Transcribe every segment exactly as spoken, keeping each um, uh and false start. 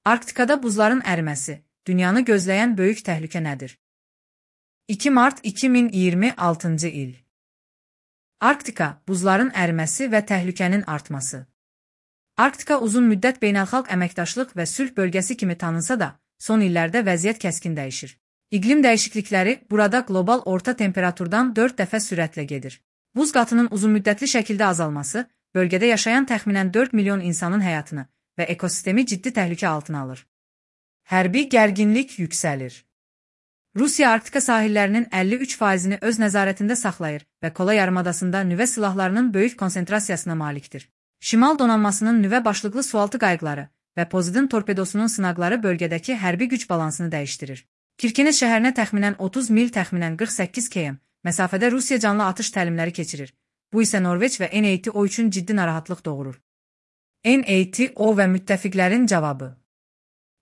Arktikada buzların əriməsi, dünyanı gözləyən böyük təhlükə nədir? iki mart iki min iyirmi altıncı il. Arktika, buzların əriməsi və təhlükənin artması. Arktika uzun müddət beynəlxalq əməkdaşlıq və sülh bölgəsi kimi tanınsa da, son illərdə vəziyyət kəskin dəyişir. İqlim dəyişiklikləri burada qlobal orta temperaturdan dörd dəfə sürətlə gedir. Buz qatının uzunmüddətli şəkildə azalması, bölgədə yaşayan təxminən dörd milyon insanın həyatını və ekosistemi ciddi təhlükə altına alır. Hərbi gərginlik yüksəlir. Rusiya Arktika sahillərinin əlli üç faizini öz nəzarətində saxlayır və Kola yarımadasında nüvə silahlarının böyük konsentrasiyasına malikdir. Şimal donanmasının nüvə başlıqlı sualtı qayıqları və Poseidon torpedosunun sınaqları bölgədəki hərbi güc balansını dəyişdirir. Kirkenes şəhərinə təxminən otuz mil, təxminən qırx səkkiz kilometr məsafədə Rusiya canlı atış təlimləri keçirir. Bu isə Norveç və N A T O üçün ciddi narahatlıq doğurur. N A T O və müttəfiqlərin cavabı.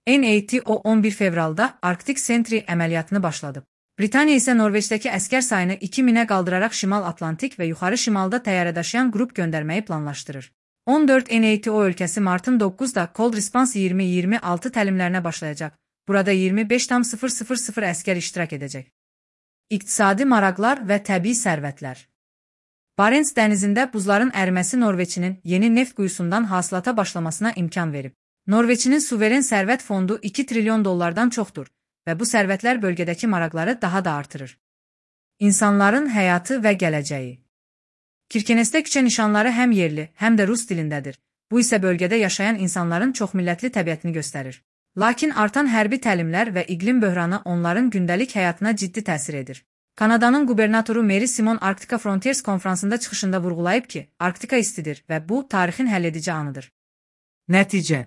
N A T O on bir fevralda Arktik Sentry əməliyyatını başladıb. Britaniya isə Norveçdəki əskər sayını iki minə qaldıraraq Şimal Atlantik və yuxarı şimalda təyyarə daşıyan qrup göndərməyi planlaşdırır. on dörd N A T O ölkəsi martın doqquzunda Cold Response iyirmi iyirmi altı təlimlərinə başlayacaq. Burada iyirmi beş tam sıfır sıfır sıfır əskər iştirak edəcək. İqtisadi maraqlar və təbii sərvətlər. Barents dənizində buzların əriməsi Norveçinin yeni neft quyusundan hasilata başlamasına imkan verib. Norveçinin suveren sərvət fondu iki trilyon dollardan çoxdur və bu sərvətlər bölgədəki maraqları daha da artırır. İnsanların həyatı və gələcəyi. Kirkenesdə küçə nişanları həm yerli, həm də rus dilindədir. Bu isə bölgədə yaşayan insanların çoxmillətli təbiətini göstərir. Lakin artan hərbi təlimlər və iqlim böhranı onların gündəlik həyatına ciddi təsir edir. Kanadanın qubernatoru Mary Simon Arktika Frontiers konfransında çıxışında vurğulayıb ki, Arktika istidir və bu, tarixin həlledici anıdır. Nəticə.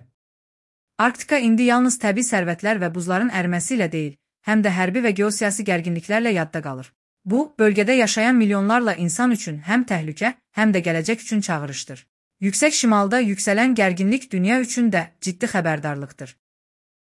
Arktika indi yalnız təbii sərvətlər və buzların əriməsi ilə deyil, həm də hərbi və geosiyasi gərginliklərlə yadda qalır. Bu, bölgədə yaşayan milyonlarla insan üçün həm təhlükə, həm də gələcək üçün çağırışdır. Yüksək şimalda yüksələn gərginlik dünya üçün də ciddi xəbərdarlıqdır.